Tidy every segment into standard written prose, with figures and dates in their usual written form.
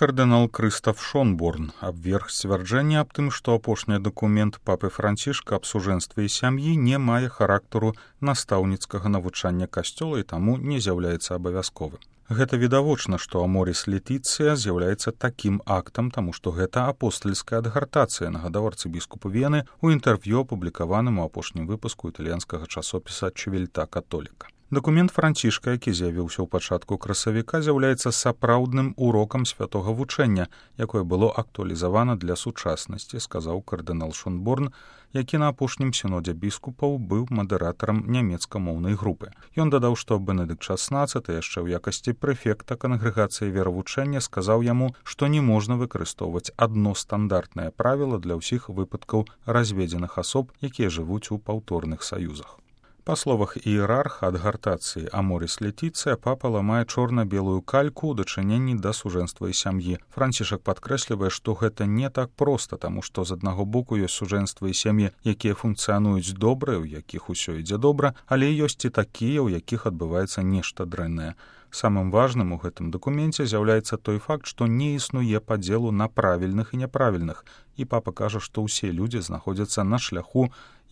кардынал Крыстаф Шонборн абверг сцвярджэнне аб тым, што апошні дакумент папы Францішка аб сужэнстве і сям'і не мае характару настаўніцкага навучання касцёла і таму не з'яўляецца абавязковым. Гэта відавочна, што Аморіс Летіцыя з'яўляецца такім актам, таму што гэта апостальская адгартацыя, нагадаў арцыбіскуп Вены ў інтэрв'ю, апублікаваным у апошнім выпуску італьянскага часопіса «Чывельта католіка». Дакумент Францішка, які з'явіўся ў пачатку красавіка, з'яўляецца сапраўдным урокам святога вучэння, якое было актуалізавана для сучаснасці, сказаў кардынал Шонборн, які на апошнім сінодзе біскупаў быў мадэратарам нямецкамоўнай групы. Ён дадаў, што Бенедыкт XVI яшчэ ў якасці прэфекта кангрэгацыі веравучэння сказаў яму, што не можна выкарыстоўваць адно стандартнае правіла для ўсіх выпадкаў разведзеных асоб, якія жывуць у паўторных саюзах. Па словах іерарха адгартацыі Аморіс Летіцыя, папа ламае чорна-белую кальку ў дачыненні да сужэнства і сям'і. Францішак падкрэслівае, што гэта не так проста, таму што з аднаго боку ёсць сужэнства і сям'і, якія функцыянуюць добра, у якіх усё ідзе добра, але ёсць і такія, у якіх адбываецца нешта дрэннае. Самым важным у гэтым дакуменце з'яўляецца той факт, што не існуе падзелу на правільных і няправільных, і папа кажа, што ўсе людзі знаходзяцца на шляху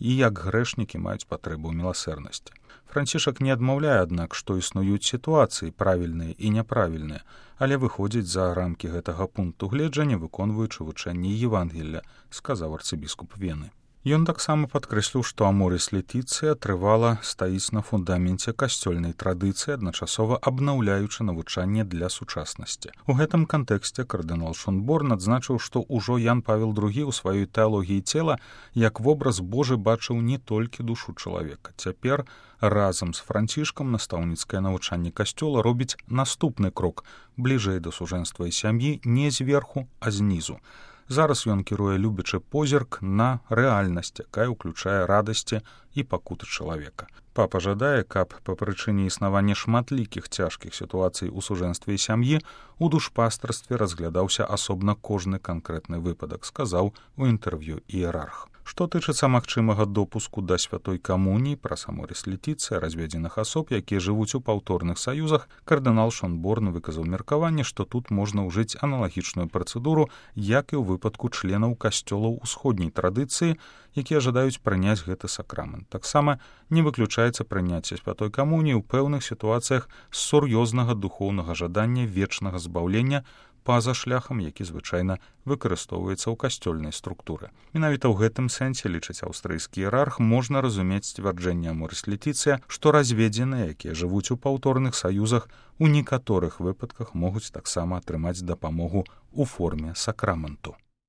і як грэшнікі маюць патрэбу ў міласэрнасці. Францішак не адмаўляе, аднак, што існуюць сітуацыі правільныя і няправільныя, але выходзіць за рамкі гэтага пункту гледжання, выконваючы вучэнні Евангелля, сказаў арцыбіскуп Вены. Ён таксама падкрэсліў, што Аморіс Летіцыя трывала стаіць на фундаменце касцёльнай традыцыі, адначасова абнаўляючы навучанне для сучаснасці. У гэтым кантэксце кардынал Шонборн адзначыў, што ўжо Ян Павел II у сваёй тэалогіі цела як вобраз Божы бачыў не толькі душу чалавека. Цяпер разам з Францішкам настаўніцкае навучанне касцёла робіць наступны крок бліжэй да сужэнства і сям'і не зверху, а знізу. Зараз ён кіруе любячы позірк на рэальнасць, якая ўключае радасці і пакуты чалавека. Папа жадае, каб па прычыне існавання шматлікіх цяжкіх сітуацый у сужэнстве і сям'і у душпастарстве разглядаўся асобна кожны канкрэтны выпадак, сказаў у інтэрв'ю іерарх. Што тычыцца магчымага допуску да святой камуніі праз Аморіс Летіцыя разведзеных асоб, якія жывуць у паўторных саюзах, кардынал Шонборн выказаў меркаванне, што тут можна ўжыць аналагічную працэдуру, як і ў выпадку членаў касцёлаў усходняй традыцыі, якія жадаюць прыняць гэты сакрамент. Таксама не выключаецца прыняцце святой камуніі ў пэўных сітуацыях з сур'ёзнага духоўнага жадання вечнага збаўлення па-за шляхам, які звычайна выкарыстоўваецца ў касцёльнай структуры. Менавіта ў гэтым сэнсе, лічыць аўстрыйскі іерарх, можна разумець сцвярджэнне Аморіс Летіцыя, што разведзеныя, якія жывуць у паўторных саюзах, у некаторых выпадках могуць таксама атрымаць дапамогу ў форме сакраменту.